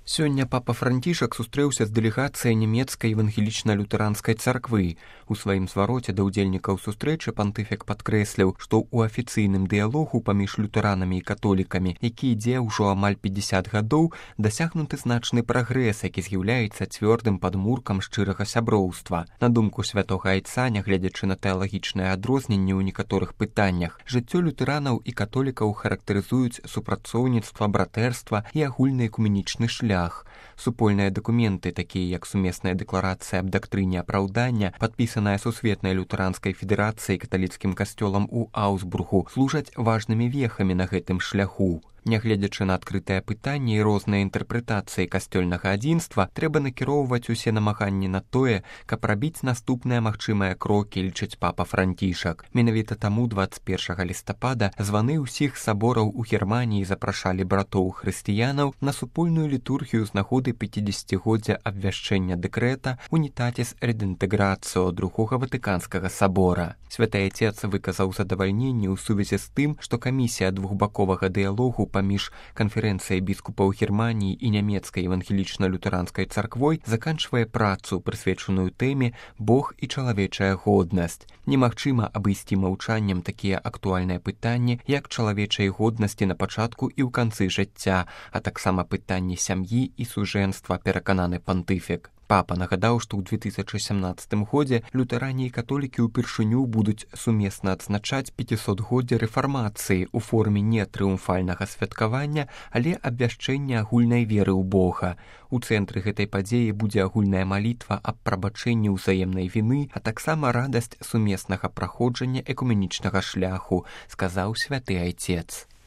Сёння папа Францішак сустрэўся з дэлегацыяй нямецкай евангелічна-лютэранскай царквы. У сваім звароце да ўдзельнікаў сустрэчы пантыфік падкрэсліў, што ў афіцыйным дыялогу паміж лютэранамі і католікамі, які ідзе ўжо амаль 50 гадоў, дасягнуты значны прагрэс, які з'яўляецца цвёрдым падмуркам шчырага сяброўства. На думку святога айца, нягледзячы на тэалагічныя адрозненні ў некаторых пытаннях, жыццё лютэранаў і католікаў характарызуюць супрацоўніцтва, братэрства і агульны экуменічны шлях. Супольныя дакументы, такія як сумесная дэкларацыя аб дактрыне апраўдання, падпісаная Сусветнай лютэранскай федэрацыяй каталіцкім касцёлам у Аўсбургу, служаць важнымі вехамі на гэтым шляху. Нягледзячы на адкрытае пытанне і розныя інтэрпрэтацыі касцёльнага адзінства, трэба накіроўваць усе намаганні на тое, каб рабіць наступныя магчымыя крокі, лічыць папа Францішак. Менавіта таму 21 лістапада званы ўсіх сабораў у Германіі запрашалі братоў-хрысціянаў на супольную літургію з нагоды 50-годдзя абвяшчэння дэкрэта «Унітатіс рединтеграцыо» Другога Ватыканскага сабора. Святы Айцец выказаў задавальненне ў сувязі з тым, што камісія двухбаковага дыялогу паміж канферэнцыяй біскупаў Германіі і нямецкай евангелічна-лютэранскай царквой заканчвае працу, прысвечаную тэме «Бог і чалавечая годнасць». Немагчыма абысці маўчаннем такія актуальныя пытанні, як чалавечай годнасці на пачатку і ў канцы жыцця, а таксама пытанні сям'і і сужэнства, перакананы пантыфік. Папа нагадаў, што ў 2017 годзе лютэране і католікі ўпершыню будуць сумесна адзначаць 500-годдзе рэфармацыі ў форме не трыумфальнага святкавання, але абвяшчэння агульнай веры ў Бога. У цэнтры гэтай падзеі будзе агульная малітва аб прабачэнні ўзаемнай віны, а таксама радасць сумеснага праходжання экуменічнага шляху, сказаў святы Айцец.